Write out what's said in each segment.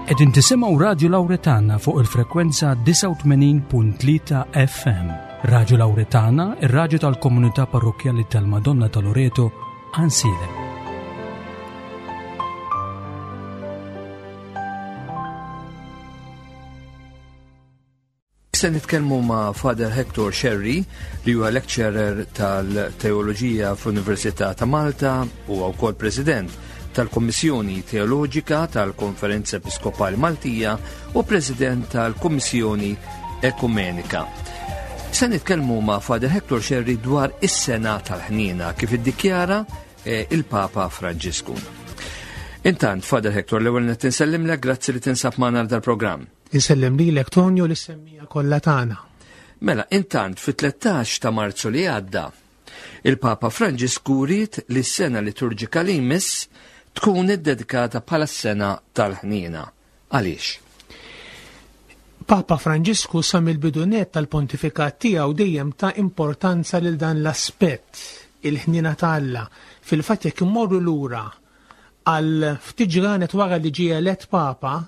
Qegħdin tisimgħu Radju Lawretana fuq il-frekwenza 89.3 FM. Radju Lawretana, ir-radju tal-komunità parrokkjali tal-Madonna ta' Loreto, Ansilem. Se nitkellmu ma' Father Hector Sherry li huwa lecturer tal-Teoloġija fl-Università ta' Malta u wkoll President tal-Kommissjoni Teoloġika tal-Konferenza Episkopali Maltija u President tal-Kommissjoni Ekumenika. Se nitkellmu ma' Father Hector Sherry dwar is-sena tal-ħniena kif iddikjara eh, il-Papa Franġisku. Intant, Father Hector, l-ewwel qed insellimlek, grazzi li tinsab magħna dal-programm. Insellem lilek Tonio li semmija kollha tagħna. Mela, intant fit-13 ta' Marzu li għadda, il-Papa Franġisku ried li s-sena liturġika li jmiss tkun iddedikata bħala s-sena tal-ħniena. Għaliex? Papa Franġisku sa mill-bidu nett tal-pontifikat tiegħu dejjem ta importanza lil dan l-aspett, il-ħniena ta' Alla. Fil-fatt jekk immorru lura għal ftit ġranet wara li ġie elett Papa,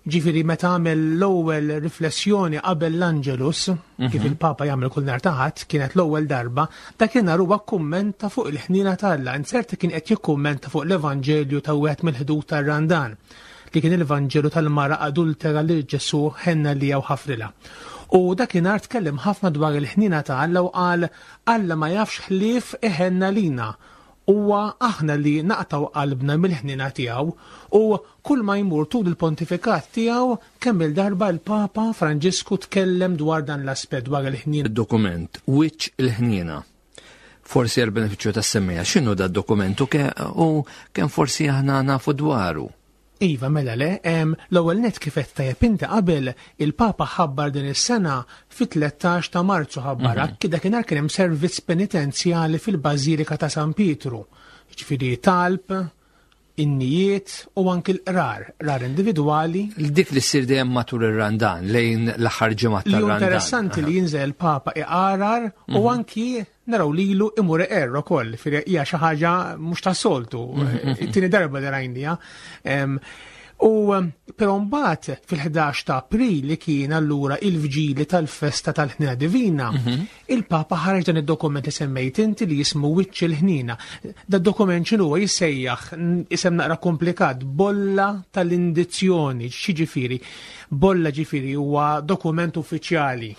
Ġifieri meta għamel l-ewwel riflessjoni qabel l-Angelus, mhm. kif il-Papa jagħmel kull nhar ta' Ħadd, kienet l-ewwel darba, dakinhar huwa kkummenta fuq il-ħniena t'Alla, inzerta kien qed jikkummenta fuq l-Evanġelju ta' wieħed mill-ħdud tar-Randan, li kien il-Vanġelu tal-mara adultera li Ġesu ħenna li jew ħafrilha. U dakinhar tkellem ħafna dwar il-ħniena ta' Alla u qal Alla ma jafx ħlief iħenna lina Huwa aħna li naqtgħu qalbna mill-ħniena tiegħu u kull ma jmur tul il-pontifikat tiegħu kemm-il darba l-Papa Franġisku tkellem dwar dan l-aspett dwar il-ħniena. Id-dokument Wiċċ il-Ħniena. Forsi għall-benefiċċju tas-semmiegħa, x'inhu dad-dokument u kemm forsi aħna nafu dwaru? Iva, mela le, l-ewwel nett kif għedt tajjeb inti qabel, il-Papa ħabbar din is-sena fit-13 ta' Marzu ħabbarha, mm -hmm. dakinhar kien hemm servizz penitenzjali fil-Bażilika ta' San Pietru. Ġifieri talb, innijiet u anki l-qrar, qrar individwali. Dik li ssir dejjem matul ir-Randan, lejn l-aħħar ġimgħa tal-Randan. Interessanti li jinżel il-Papa iqarar u mhm. anki naraw lilu imur iqerr ukoll, firja hija xi ħaġa mhux tas-soltu, it-tieni darba li rajnija. U però mbagħad fil-11 ta' April li kien allura il-vġili tal-festa tal-ħnina divina, mhm. il-Papa ħareġ dan id-dokument li semmejt inti li jismu Wiċċ il-ħnina. Da dokument x'inhu huwa jissejjaħ isem naqra komplikat, bolla tal-indizzjoni, x'jiġifieri? Bolla ġifieri huwa dokument uffiċjali.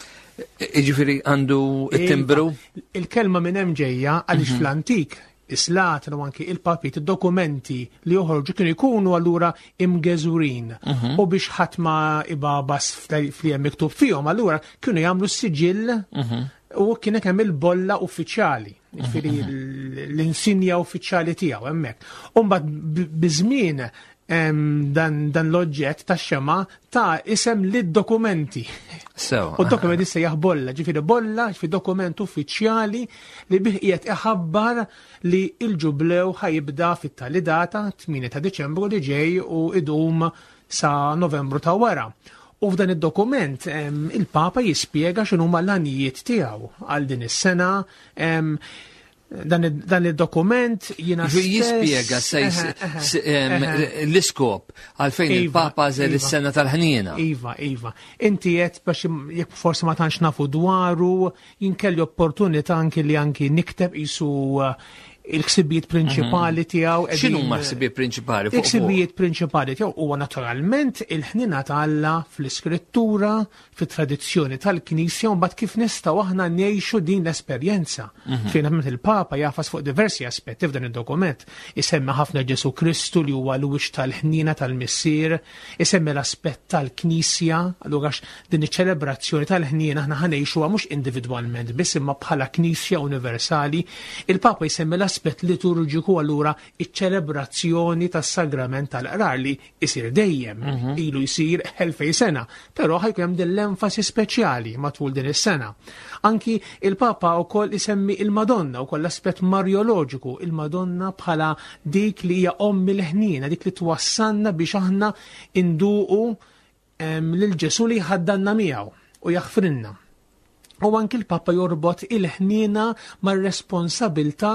Jiġifieri għandu it-timbru? Iva, il-kelma minn hemm ġejja għaliex mhm. fl-antik is-slaten u anki il-papit, id-dokumenti li joħorġu kienu jkunu allura imgeżurin. Mhm. U biex ħadd ma ibabas fli hemm miktub fihom, allura kienu jagħmlu s-siġill mhm. u kien hemm il-bolla uffiċjali, ġifieri l-insinja uffiċjali tiegħu hemmhekk. U mbagħad biż-żmien dan, dan l-oġġett ta' xema ta' isem lid-dokumenti. So, U d-dokumenti se bolla, ġifieri bolla, ġifieri dokument uffiċjali li bih qiegħed iħabbar li l-ġublew ħajibda fit-tali data 8 ta' Diċembru li ġej u idum sa' Novembru ta' wara. U f'dan id-dokument il-Papa jispjega x'inhuma l-għanijiet tiegħu għal din is-sena dan il-dokument jina Jispjega l-iskop għalfejn iva, il-Papa għażel iva. is-sena tal-ħniena. Iva, iva. Inti qed biex jekk forsi ma tantx nafu dwaru, jinkelli opportunità anki li anki nikteb isu eh, il-ħsibijiet prinċipali mhm. tiegħu. X'inhu ma ħsibijiet prinċipali? Il-ħsibijiet prinċipali tiegħu huwa naturalment il-ħnina ta' Alla fl-Iskrittura, fit-tradizzjoni tal-Knisja u mbagħad kif nistgħu aħna ngħixu din l-esperjenza. Mhm. Fejn mm il-Papa jafas fuq diversi aspetti f'dan id-dokument. Isemmi ħafna Ġesu Kristu li huwa l-wiċċ tal-ħnina tal-Missier, isemmi l-aspett tal-Knisja, allura din iċ-ċelebrazzjoni tal-ħnina aħna ħanejxuha mhux individwalment biss imma bħala Knisja universali. Il-Papa jsemmi l-aspett liturġiku allura iċ-ċelebrazzjoni tas-sagrament tal-qrar li isir dejjem, mhm. ilu jsir elfej sena, però ħajkun hemm din l-enfasi speċjali matul din is-sena. Anki il-Papa wkoll isemmi il-Madonna wkoll l-aspett marjoloġiku, il-Madonna bħala dik li hija omm il-ħniena, dik li twassalna biex aħna induqu lil Ġesu li jħaddanna miegħu u jaħfrilna. U anki l-Papa jorbot il-ħniena mar-responsabilta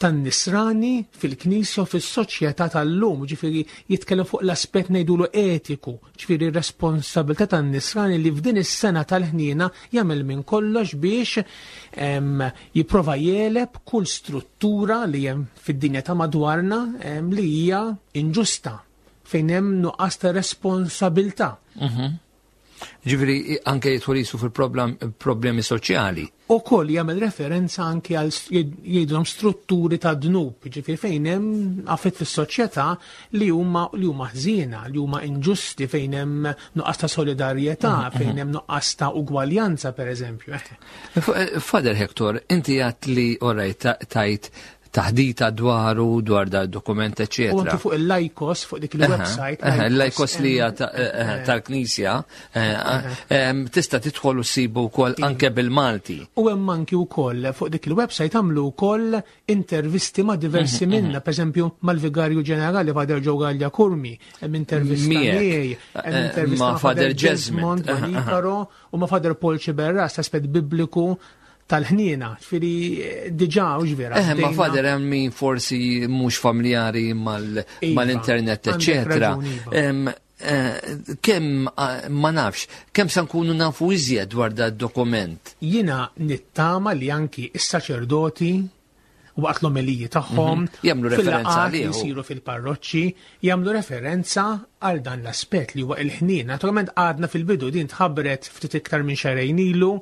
tan-nisrani fil-Knisja u fis-soċjetà tal-lum, ġifieri jitkellem fuq l-aspett ngħidulu etiku, ġifieri r-responsabilità tan-nisrani li f'din is-sena tal-ħniena jagħmel minn kollox biex jipprova jegħleb kull struttura li hemm fid-dinja ta' madwarna li hija inġusta fejn hemm nuqqas ta' responsabilità. Ġifieri anke jidħol jisu fil-problemi soċjali. U koll jagħmel referenza anke għal jgħidulhom strutturi ta' dnub, ġifieri fejn hemm affett fis-soċjetà li huma li huma ħżiena, li huma inġusti fejn hemm nuqqas ta' solidarjetà, fejn hemm nuqqas ta' ugwaljanza pereżempju. Father Hector, inti għat li orajt tajt taħdita dwaru, dwar da dokument, eccetera. U anki fuq il-Lajkos, fuq dik il-website. Il-Lajkos li hija tal-Knisja, tista' tidħol u ssibu wkoll anke bil-Malti. U hemm anki wkoll fuq dik il-website għamlu wkoll intervisti ma' diversi minna, pereżempju mal-Vigarju Ġenerali Father Joe Gallia Curmi, hemm intervista miegħi, hemm intervista ma' Father Jesmond, ma' Nicaro u ma' Father Paul Sciberras, aspett bibliku tal-ħniena, ġifieri diġà u ġvera. Eh, ma fader hemm min forsi mhux familjari iva, mal-internet, eċetera. Iva. Eh, kemm eh, ma nafx, kemm sa nkunu nafu iżjed dwar da dokument? Jiena nittama li anki is-saċerdoti waqt l-omeliji tagħhom mhm. jagħmlu referenza għalih jsiru fil-parroċċi jagħmlu referenza għal dan l-aspett li huwa il-ħnien. Naturalment għadna fil-bidu din tħabbret ftit iktar minn xahrejn ilu,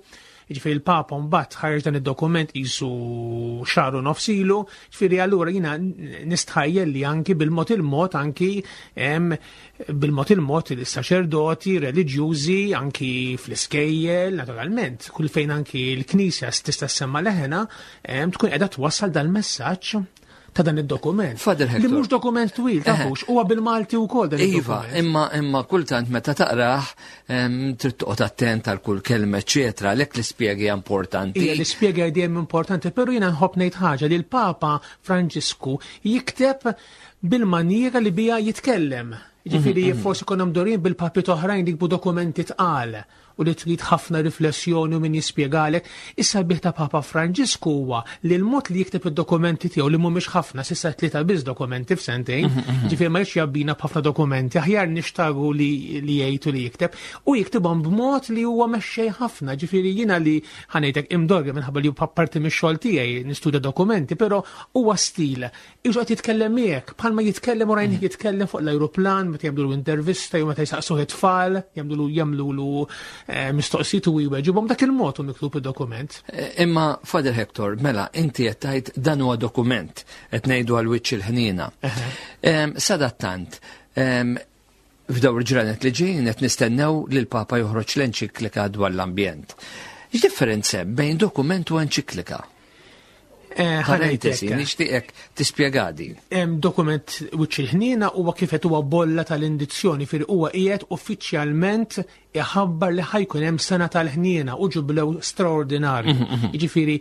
Ġifieri il-Papa mbagħad ħareġ dan id-dokument qisu xahar u nofs ilu, ġifieri allura jiena nistħajjel li anki bil-mod il-mod anki bil-mod il-mod il-saċerdoti reliġjużi anki fl-iskejjel, naturalment, kull fejn anki l-Knisja tista' ssemma leħena, tkun qiegħda twassal dal-messaġġ ta' dan id-dokument. Father Li mhux dokument twil, eh. tafux, huwa bil-Malti wkoll dan Iva, imma imma kultant meta taqrah trid toqgħod attent għal kull kelma eċetera, għalhekk l-ispjegi importanti. Ija, l-ispjega dejjem importanti, però jiena nħobb ngħid ħaġa li l-Papa Franġisku jikteb bil-maniera li bija jitkellem. Ġifieri forsi konna mdorin bil-papi oħrajn li jikbu dokumenti tqal u li trid ħafna riflessjoni u min jispjegalek. Is-sabiħ ta' Papa Franġisku huwa li l-mod li jikteb id-dokumenti tiegħu li mhumiex ħafna, s'issa tlieta biss dokumenti f'sentejn, mhm, mhm. ġifieri ma jridx jabbina b'ħafna dokumenti, aħjar nixtaru li jgħid u li jikteb, u jiktibhom b'mod li huwa mexxej ħafna, ġifieri jiena li ħanejtek imdorri minħabba li parti mix-xogħol tiegħi nistudja dokumenti, però huwa stil Iġu qed jitkellem miegħek, bħalma jitkellem u rajnih jitkellem fuq l-ajruplan meta jagħmlu intervista jew meta jsaqsuh it-tfal, jagħmlu jagħmlulu eh, mistoqsijiet u jweġibhom dak il-mod u miktub id-dokument. Eh, imma Father Hector, mela inti qed tgħid dan huwa dokument qed ngħidu għal wiċċ il-ħniena. Sadattant, f'dawn il-ġranet li ġejjin qed nistennew li l-Papa joħroġ l-enċiklika dwar l-ambjent. X'differenza hemm bejn dokument u enċiklika? Eh, Parentesi, nixtieqek tispjega din. Dokument wiċċ il-ħniena huwa kif qed huwa bolla tal-indizzjoni fir huwa qiegħed uffiċjalment iħabbar li ħajkun hemm sena tal-ħniena u ġublew straordinarju. Jiġifieri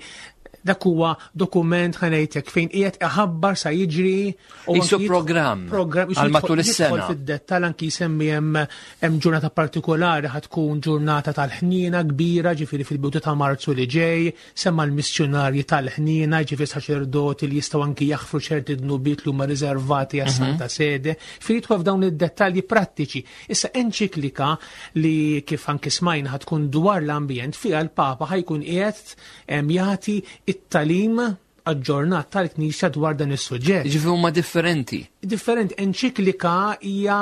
dak huwa dokument ħanejtek fejn qiegħed iħabbar sa jiġri u Isu programm programm għal matul is-sena. Fid-dettall anki jsemmi hemm hemm ġurnata partikolari ħad tkun ġurnata tal-ħniena kbira ġifieri fil-bidu ta' Marzu li ġej, Semma l-missjunarji tal-ħniena, jiġifieri saċerdoti li jistgħu anki jaħfru ċerti dnubiet li huma riservati għas-Santa mhm. Sede, fejn jidħol f'dawn id-dettalji prattiċi. Issa enċiklika li kif anki smajna tkun dwar l-ambjent fiha l-Papa ħajkun qiegħed jagħti it-talim aġġornat tal-Knisja dwar dan is-suġġett. Ġifieri huma differenti. Differenti, enċiklika hija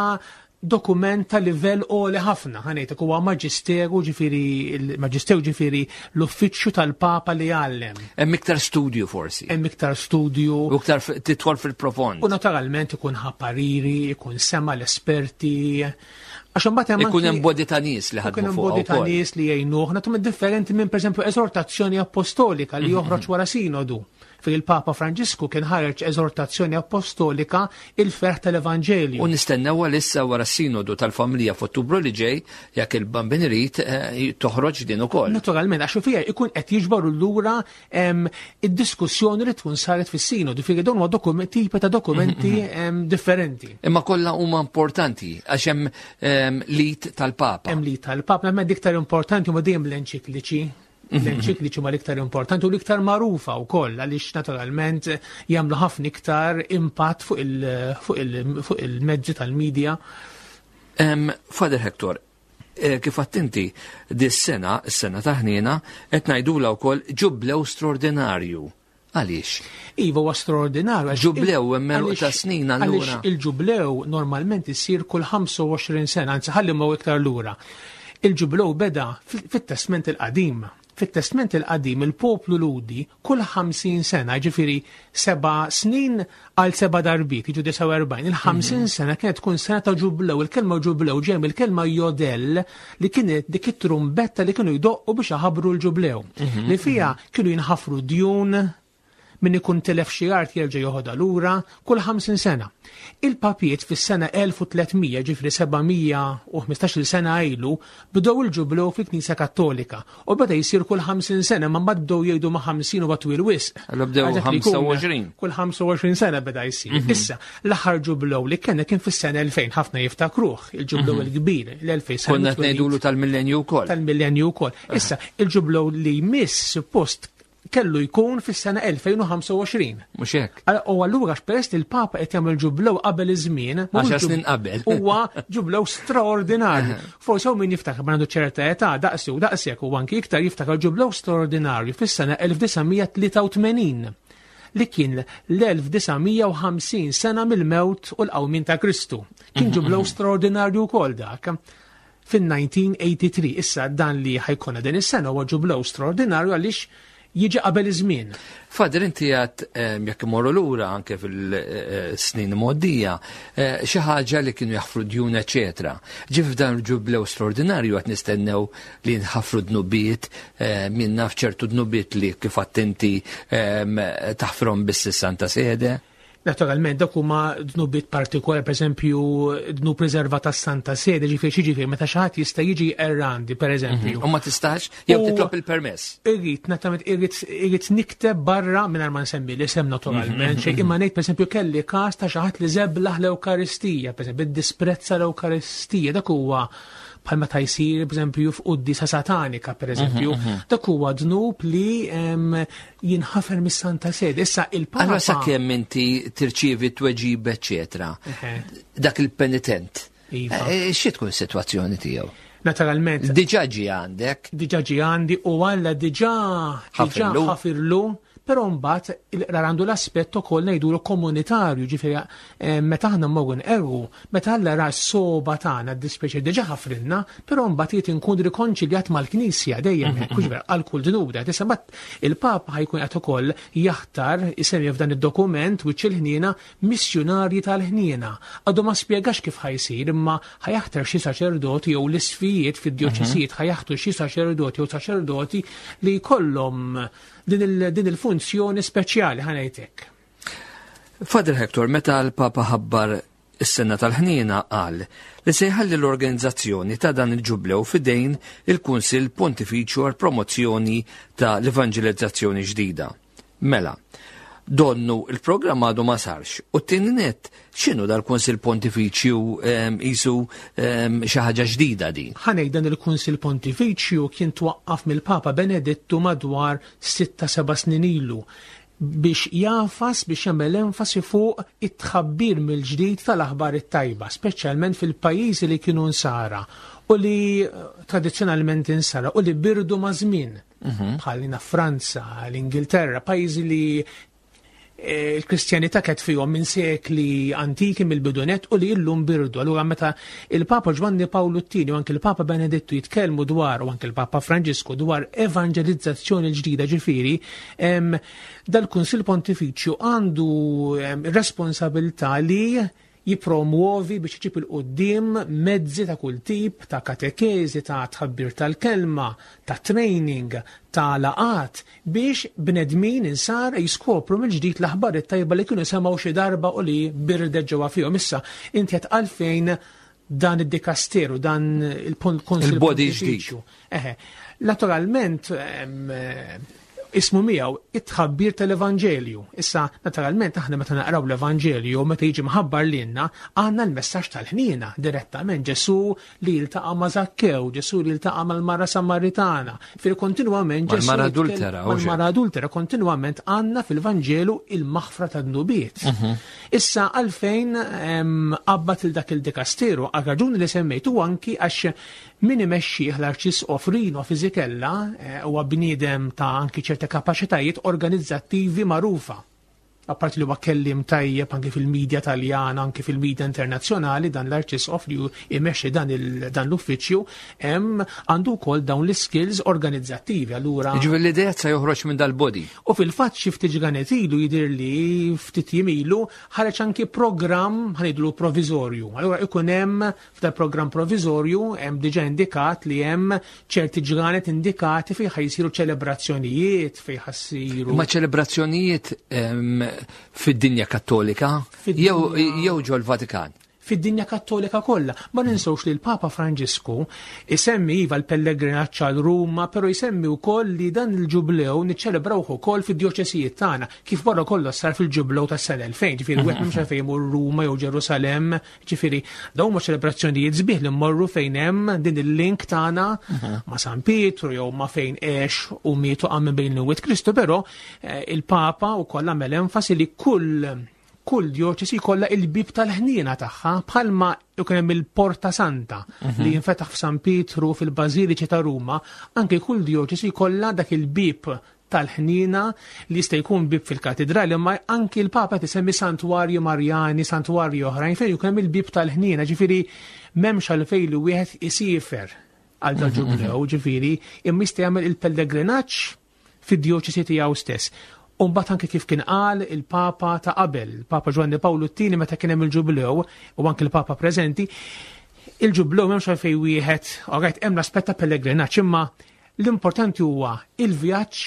dokument ta' livell għoli ħafna, ħanejtek huwa maġisteru ġifieri il-maġisteru ġifieri l-uffiċċju tal-Papa li jgħallem. Hemm iktar studju forsi. Hemm iktar studju. U iktar tidħol fil-profond. U naturalment ikun ħa pariri, ikun sema l-esperti. Għax imbagħad hemm ikun hemm bodi ta' nies li ħadmu fuq. Ikun bodi ta' nies li jgħinuh, nagħtum differenti minn pereżempju eżortazzjoni apostolika li mhm, joħroġ mhm. wara sinodu. Fejn il-Papa Franġisku kien ħareġ eżortazzjoni appostolika il-ferħ tal-Evanġelju. U nistennew għalissa wara s-sinodu tal-familja f'Ottubru li ġej, jekk il-Bambin irid, eh, toħroġ din ukoll. Naturalment, għax fiha ikun qed jiġbaru lura id-diskussjoni li tkun saret fis-sinodu, fiha dawn huma tipi ta' dokumenti mhm, mhm. differenti. Imma kollha huma importanti għax hemm lit tal-Papa. Hemm lit tal-Papa, imma diktar importanti huma dejjem l-enċikliċi. L-enċikliċi huma l-iktar importanti u l-iktar magħrufa wkoll għaliex naturalment jagħmlu ħafna iktar impatt fuq il-mezzi tal-medja. Father Hector, eh, kif għattinti dis-sena, s-sena ta' ħniena, qed ngħidula wkoll ġublew straordinarju. Għaliex? Iva huwa straordinarju. Ġublew hemm ta' snin allura. Il-ġublew normalment isir kull 25 sena, anzi ħalli ma iktar lura. Il-ġublew beda fit-Testment il-Qadim. Fit-Testment il-Qadim il-poplu Lhudi kull 50 sena, ġifieri seba' snin għal seba' darbiet, jiġu 49, il-50 sena kienet tkun sena ta' ġublew, il-kelma ġublew ġej mill-kelma jodel li kienet dik it-trumbetta li kienu jdoqqu biex iħabbru l-ġublew, li fiha kienu jinħafru djun, min ikun tilef xi art jerġa' joħodha lura kull 50 sena. Il-papiet fis-sena 1300, ġifieri 715-il sena ilu, bdew il-ġublew fil-Knisja Kattolika u beda jsir kull 50 sena, ma mbagħad bdew jgħidu ma' 50 huwa twil wisq. Allura bdew Għal dak li jkun 25. Kull 25 sena beda jsir. Issa, l-aħħar ġublew li kellna kien fis-sena 2000, ħafna jiftakruh, il-ġublew il-kbir, l-2000 sena. Konna qed ngħidulu tal-millenju wkoll. Tal-millenju wkoll. Issa, il-ġublew li jmiss suppost kellu jkun fis-sena 2025. Mhux hekk. U allura peress li l-Papa qed jagħmel ġublew qabel iż-żmien, għaxar snin qabel. Huwa ġublew straordinarju. Forsi hawn min jiftakar ma għandu ċerta età daqsi u daqsek u anki iktar jiftakar ġublew straordinarju fis-sena 1983 li kien l-1950 sena mill-mewt u l-qawmien ta' Kristu. Kien ġublew straordinarju wkoll dak fin-1983. Issa dan li ħajkonna din is-sena huwa ġublew straordinarju għaliex jiġi qabel iż-żmien. Father, inti għad jekk imorru lura anke fil-snin mgħoddija, xi ħaġa li kienu jaħfru djun, eċetera. Ġif f'dan il-ġublew straordinarju qed nistennew li nħafru dnubiet, min naf ċertu dnubiet li kif għedt inti taħfrhom biss is-Santa Sede. Naturalment, dak huma dnubiet partikolari, per eżempju, dnub riservat tas-Santa Sede, ġifieri xi ġifieri meta xi ħadd jista' jiġi errandi, per eżempju. U ma tistax, jew titlob il-permess. Irrid, naturalment, irrid nikteb barra mingħajr ma nsemmi l-isem naturalment, xejn imma ngħid pereżempju kelli każ ta' xi ħadd li żeblaħ l-Ewkaristija, pereżempju, iddisprezza l-Ewkaristija, dak huwa bħal meta jsir, pereżempju, f'quddiesa satanika, pereżempju, dak huwa dnub li jinħafer mis-Santa Sede. Issa il-Papa Allora sakemm inti tirċievi tweġib, eċetera, dak il-penitent, xi tkun is-sitwazzjoni tiegħu? Naturalment. Diġà ġie għandek. Diġà ġie għandi u Alla diġà Ħafirlu. ħafirlu, però mbagħad il-qrar għandu l-aspett ukoll ngħidulu komunitarju, ġifieri meta aħna mmorru nqerru, meta Alla ra s-soba tagħna d-dispjaċir diġà ħafrilna, però mbagħad irid inkun rikonċiljat mal-Knisja dejjem, hekk, ġifieri għal kull dnub da. Issa mbagħad il-Papa ħajkun qed ukoll jaħtar isemmi f'dan id-dokument wiċċ il-ħniena missjunarji tal-ħniena. Għadu ma spjegax kif ħajsir, imma ħajaħtar xi saċerdoti jew l-isfijiet fid-djoċesijiet ħajaħtu xi saċerdoti jew saċerdoti li jkollhom din il-funzjoni speċjali ħanejtek. Father Hector, meta l-Papa ħabbar is-sena tal-ħniena qal li se jħalli l-organizzazzjoni ta' dan il-ġublew fidejn il-Kunsill Pontifiċju għal promozzjoni ta' l-evanġelizzazzjoni ġdida. Mela, donnu il-programm għadu ma sarx u t-tieni net x'inhu dal-Kunsill Pontifiċju isu xi ħaġa ġdida din? Ħanej dan il-Kunsill Pontifiċju kien twaqqaf mill-Papa Benedittu madwar 6-7 snin ilu biex jafas, biex jagħmel enfasi fuq it-tħabbir mill-ġdid tal-aħbar it-tajba, speċjalment fil-pajjiżi li kienu nsara u li tradizzjonalment insara u li birdu ma' żmien. Bħal Franza, l-Ingilterra, pajjiżi li l-Kristjanità kienet fihom minn sekli antiki mill-bidunet u li illum birdu. Allura meta il-Papa Ġwanni Pawlu t-tieni u anke il-Papa Benedittu jitkellmu dwar, u anke il-Papa Franġisku dwar evanġelizzazzjoni ġdida, ġifieri, dal-Kunsill Pontifiċju għandu responsabilità li jipromuovi biex iġib il-qoddim mezzi ta' kull tip, ta' katekezi, ta' tħabbir tal-kelma, ta' training, ta' laqat, biex bnedmin insar jiskopru mill-ġdid l-aħbar it-tajba li kienu semgħu xi darba u li birdet ġewwa fihom. Issa, inti qed għalfejn dan id-dikasteru, dan il-Kunsill Il-body Pontifiċju. ġdid. Eħe, naturalment, Ismu miegħu it-tħabbir tal-Evanġelju. Issa, naturalment, aħna meta naqraw l-Evanġelju, meta jiġi mħabbar lilna, għandna l-messaġġ tal-ħniena direttament Ġesu li jiltaqa' ma' Zakkew, Ġesu li jiltaqa' mal-mara Samaritana. Fil kontinwament Ġesu. Mal-mara adultera. Mal-mara adultera, kontinwament għandna fil-Vanġelu il-maħfra tad-dnubiet. Issa għalfejn qabbat il dak il-dikasteru, għal raġuni li semmejt u anki għax min imexxih l-Arċisqof Rino Fisichella eh, huwa bniedem ta' anki ċerta kapaċitajiet organizzattivi magħrufa. Apparti li huwa kelliem tajjeb anki fil-medja Taljana, anki fil-medja internazzjonali, dan l-Arċisqof li imexxi dan l-uffiċċju hemm għandu wkoll dawn l-iskills organizzattivi. Allura. Jiġifieri l-idea se joħroġ minn dal-body. U fil-fatt xi ftit ġranet ilu jidher li ftit jiem ilu ħareġ anki programm ħanidlu proviżorju. Allura ikun hemm f'dal programm proviżorju hemm diġà indikat li hemm ċerti ġranet indikati fejn ħajsiru ċelebrazzjonijiet, fejn ħassiru. Ma ċelebrazzjonijiet fid-dinja kattolika jew ġol-Vatikan? Fid-dinja kattolika kollha. Ma ninsewx li l-Papa Franġisku isemmi iva l-pellegrinaġġ għal Ruma, però jsemmi wkoll li dan il-ġublew niċċelebrawh ukoll fid-djoċesijiet tagħna, kif wara kollox sar fil-ġublew tas-sena 2000, ġifieri wieħed m'hemmx għalfejn imur Ruma jew Ġerusalemm, ġifieri dawn huma ċelebrazzjonijiet sbieħ li mmorru fejn hemm din il-link tagħna ma' San Pietru jew ma' fejn għex u miet u qam minn bejn l-imwiet Kristu, però eh, il-Papa wkoll għamel enfasi li kull kull djoċesi jkollha il-bib tal-ħniena tagħha bħalma jkun hemm il-Porta Santa mhm. li jinfetaħ f'San Pietru fil-Bażiliċi ta' Ruma, anke kull djoċesi jkollha dak il-bib tal-ħniena li jista' jkun bib fil-katidrali, imma anki l-Papa tisemmi santwarji Marjani, santwarji oħrajn fejn jkun hemm il-bib tal-ħniena, ġifieri m'hemmx għalfejn li wieħed isiefer għal dal-ġublew, mhm. ġifieri imma jista' jagħmel il-pellegrinaġġ fid-djoċesi tiegħu stess. U mbagħad anke kif kien qal il-Papa ta' qabel, il-Papa Ġwanni Pawlu t-tieni meta kien hemm il-Ġublew u anke l-Papa preżenti, il-Ġublew m'hemmx għalfejn wieħed, alright, hemm l-aspett ta' pellegrinaġġ, imma l-importanti huwa il-vjaġġ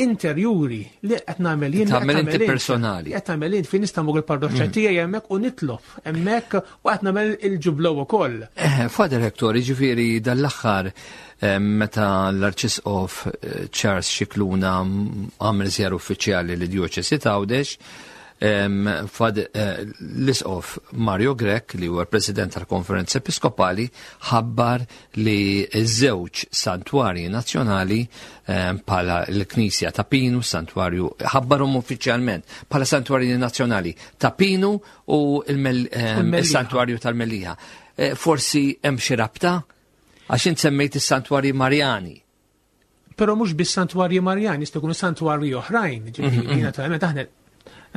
interjuri li qed nagħmel jien. Tagħmel inti personali. Qed nagħmel jien fejn nista' mmur il-parroċċa mm. tiegħi hemmhekk u nitlob hemmhekk u qed nagħmel il-ġublew ukoll. Eh, Father Hector, jiġifieri dal-aħħar Meta l-Arċisqof eh, Charles Scicluna għamel żjara uffiċjali li djoċesi ta' Għawdex, eh, l-Isqof Mario Grech, li huwa l-President tal-Konferenza Episkopali, ħabbar li ż-żewġ santwarji nazzjonali bħala l-Knisja ta' Pinu, santwarju, ħabbarhom uffiċjalment bħala santwarji nazzjonali ta' Pinu u il-santwarju tal-Mellieħa. Eh, forsi hemm xi rabta? Għax int semmejt is-santwarji Marjani. Però mhux biss santwarji Marjani, jista' jkunu santwarji oħrajn, ġifieri mhm, mhm. naturalment aħna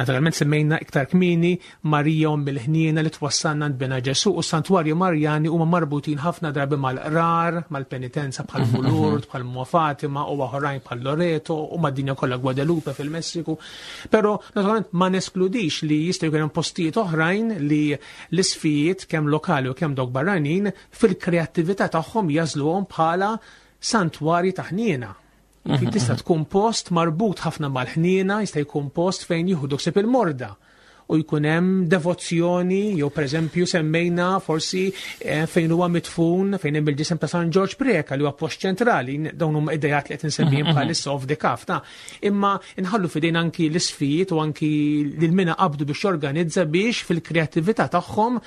Naturalment semmejna iktar kmieni Marija Omm il-Ħniena li twassalna għand Bina Ġesu u santwarji Marjani huma marbutin ħafna drabi mal-qrar, mal-penitenza bħal mhm, Lourdes, bħal Mua Fatima u oħrajn bħal Loreto u mad-dinja kollha Guadalupe fil-Messiku. Però naturalment ma neskludix li jista' jkun hemm postijiet oħrajn li l-isfijiet kemm lokali u kemm dawk barranin fil-kreattività tagħhom jażluhom bħala santwarji ta' ħniena. Mhm. Tista' tkun post marbut ħafna mal-ħniena, jista' jkun post fejn jieħu ħsieb il-morda u jkun hemm devozzjoni jew pereżempju semmejna forsi eh, fejn huwa mitfun fejn hemm il-ġisem ta' San Ġorġ Preka li huwa post ċentrali dawn huma idejat li qed insemmihom mhm, mhm. bħalissa off the cuff ta' imma nħallu fidejn anki l-isfijiet u anki lil mina qabdu biex jorganizza biex fil-kreattività tagħhom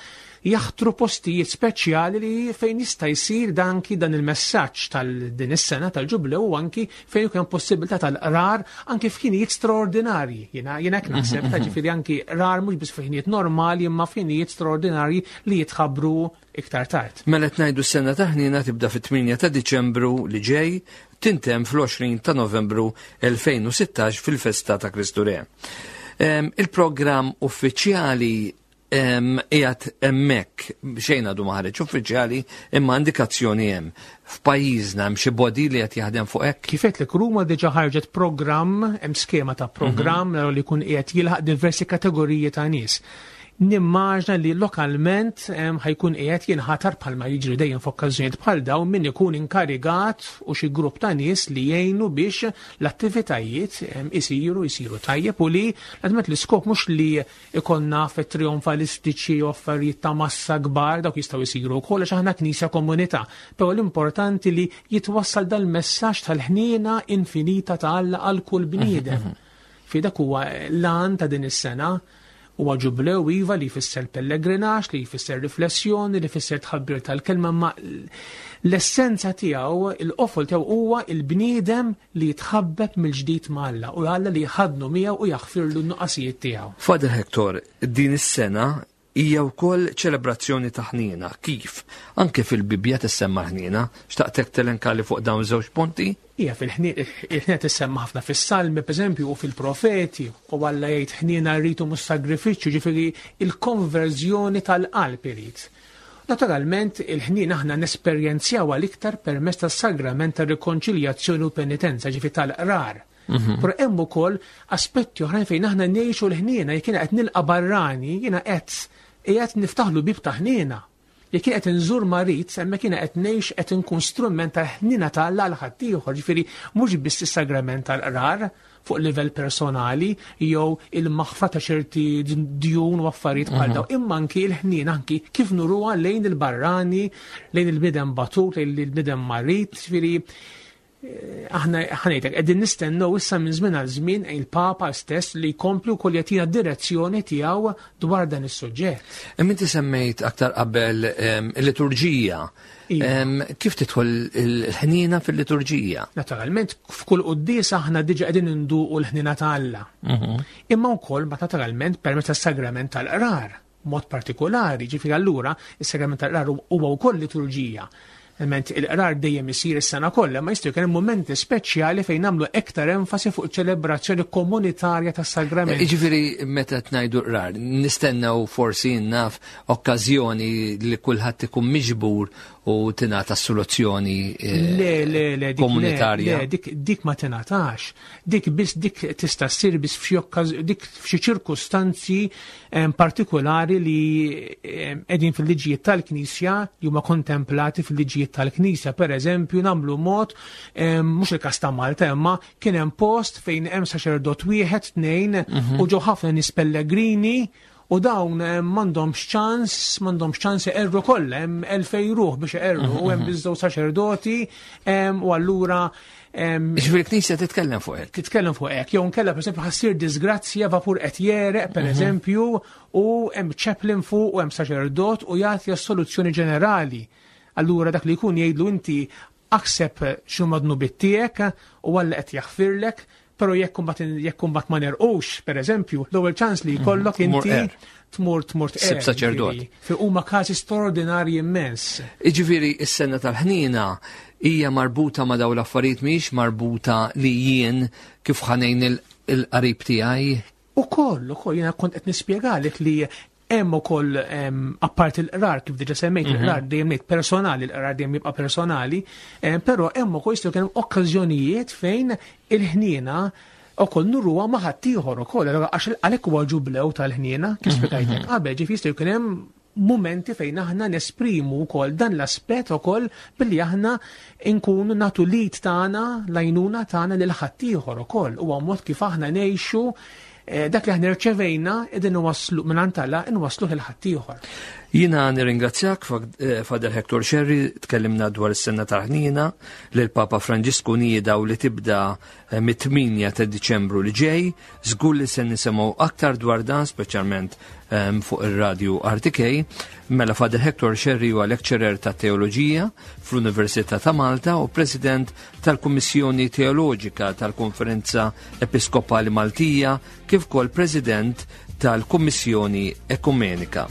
jaħtru postijiet speċjali li fejn jista' jsir dan anki dan il-messaġġ tal-din is-sena tal-Ġublew u anki fejn ikun hemm possibilità tal-qrar anki f'ħinijiet straordinarji. Jiena jiena hekk naħseb ta' ġifieri anki qrar mhux biss f'ħinijiet normali imma f'ħinijiet straordinarji li jitħabbru iktar tard. Mela qed ngħidu s-sena ta' ħniena tibda fit-8 ta' Diċembru li ġej tintemm fl-20 ta' Novembru 2016 fil-festa ta' Kristu Re. Il-programm uffiċjali qiegħed hemmhekk xejn għadu ma ħareġ uffiċjali imma indikazzjoni hemm. F'pajjiżna hemm xi body li qed jaħdem fuq hekk? Kif għedtlek Ruma diġà ħarġet programm, hemm skema ta' programm mhm. li jkun qiegħed jilħaq diversi kategoriji ta' nies. Nimmaġna li lokalment ħajkun qiegħed jinħatar bħalma jiġri dejjem f'okkażjonijiet bħal dawn min ikun inkarigat u xi grupp ta' nies li jgħinu biex l-attivitajiet isiru jsiru tajjeb u li naturalment l-iskop mhux li ikollna fit trionfalistiċi u affarijiet ta' massa kbar dawk jistgħu jsiru wkoll għax aħna knisja komunità. Però l-importanti li jitwassal dal-messaġġ tal-ħniena infinita ta' Alla għal kull bniedem. Fi dak huwa l-għan ta' din is-sena. Huwa ġublew iva li jfisser pellegrinaġġ, li jfisser riflessjoni, li jfisser tħabbir tal-kelma, ma l-essenza tiegħu, il-qofol tiegħu huwa il-bniedem li jitħabbeb mill-ġdid ma' Alla u Alla li jħaddnu miegħu u jaħfirlu n-nuqqasijiet tiegħu. Father Hector, din is-sena hija wkoll ċelebrazzjoni ta' ħniena. Kif? Anke fil-Bibbja tissemma ħniena. Xtaqtek telenkali fuq dawn żewġ punti? Hija fil-ħniena tissemma ħafna fis-Salmi, pereżempju, u fil-Profeti, u Alla jgħid ħniena rrid u mhux sagrifiċċju, ġifieri il-konverżjoni tal-qalb irid. Naturalment, il-ħniena aħna nesperjenzjawha l-iktar permezz tas-sagrament tar-rikonċiljazzjoni u penitenza, ġifieri tal-qrar. Però hemm ukoll aspetti oħrajn fejn aħna ngħixu l-ħniena, jekk jiena qed nilqa' barrani, jiena qed qiegħed niftaħlu bieb ta' ħniena. Jekk jien qed inżur marid, hemmhekk jiena qed ngħix qed inkun strument tal-ħniena ta' Alla għal ħaddieħor, ġifieri mhux biss is-sagrament tal-qrar fuq livell personali jew il-maħfra ta' ċerti djun u affarijiet bħal dawn, imma anki l-ħniena anki kif nuruha lejn il-barrani, lejn il-bniedem batut, lejn il-bniedem marid, ġifieri aħna ħanejtek qegħdin nistennew issa minn żmien għal żmien il-Papa stess li jkompli wkoll jagħtina direzzjoni tiegħu dwar dan is-suġġett. Imma inti semmejt aktar qabel il-liturġija. Kif tidħol il-ħniena fil-liturġija? Naturalment, f'kull quddiesa aħna diġà qegħdin induqu l-ħniena ta' Alla. Imma wkoll ma naturalment permezz tas-sagrament tal-qrar. Mod partikolari, ġifieri allura is-sagrament tal-qrar huwa wkoll liturġija. Ment il-qrar dejjem isir is-sena kollha, ma jistgħu jkun hemm mumenti speċjali fejn nagħmlu iktar enfasi fuq ċelebrazzjoni komunitarja tas-sagrament. Jiġifieri meta qed ngħidu qrar, nistennew forsi naf okkażjoni li kulħadd ikun miġbur u tingħata soluzzjoni Le, le, le, dik le, komunitarja. le, dik ma tingħatax. Dik biss dik tista' ssir biss f'xi okkaż-, dik f'xi ċirkustanzi partikolari li qegħdin fil-liġijiet tal-Knisja, li huma kontemplati fil-liġijiet tal-Knisja. Per eżempju, nagħmlu mod, mhux il-każ ta' Malta, imma kien hemm post fejn hemm saċerdot wieħed, tnejn, u ġew ħafna nies pellegrini, u dawn m'għandhomx ċans, m'għandhomx ċans iqerru kollha, hemm 2000 ruħ biex iqerru, u hemm biss żewġ saċerdoti, u allura, Ġifieri l-Knisja titkellem fuq hekk. Titkellem fuq hekk, jew nkella pereżempju ħassir disgrazzja vapur qed jereq, per eżempju, u hemm chaplain fuq u hemm saċerdot u jagħti s-soluzzjoni ġenerali. Allura dak li jkun jgħidlu inti aħseb x'huma dnubiet tiegħek u Alla qed jaħfirlek, però jekk imbagħad ma nerqux, per eżempju, l-ewwel ċans li jkollok Tmur inti qer. tmur tqer, Sib saċerdot. ġifieri, fi huma każi straordinarji immens. Jiġifieri s-sena tal-ħniena hija marbuta ma' dawn l-affarijiet, mhijiex marbuta li jien kif ħanejn il-qarib tiegħi. Ukoll, ukoll, jiena kont qed nispjegalek li hemm ukoll, apparti l-qrar, kif diġà semmejt, il-qrar dejjem ngħid personali, l-qrar dejjem jibqa' personali, però hemm ukoll jistgħu jkun hemm okkażjonijiet fejn il-ħniena ukoll nuruha ma' ħaddieħor ukoll, allura għax għalhekk huwa ġublew tal-ħniena, kif spjegajtlek qabel, ġifieri jistgħu jkun hemm momenti fejn aħna nesprimu wkoll dan l-aspett ukoll billi aħna nkunu nagħtu lid tagħna, l-għajnuna tagħna lil ħaddieħor ukoll. Huwa mod kif aħna ngħixu dak li aħna rċevejna qegħdin nwasslu minn Alla, nwassluh lil ħaddieħor. Jiena nirringrazzjak, Father Hector Scerri, tkellimna dwar is-sena tal-ħniena li l-Papa Franġisku nieda u li tibda mit-8 ta' Diċembru li ġej. Żgur li se nisimgħu aktar dwar dan, speċjalment fuq ir-radju RTK. Mela Father Hector Scerri huwa lecturer ta' teoloġija fl-Università ta' Malta u President tal-Kummissjoni Teoloġika tal-Konferenza Episkopali Maltija, kif ukoll President tal-Kummissjoni Ekumenika.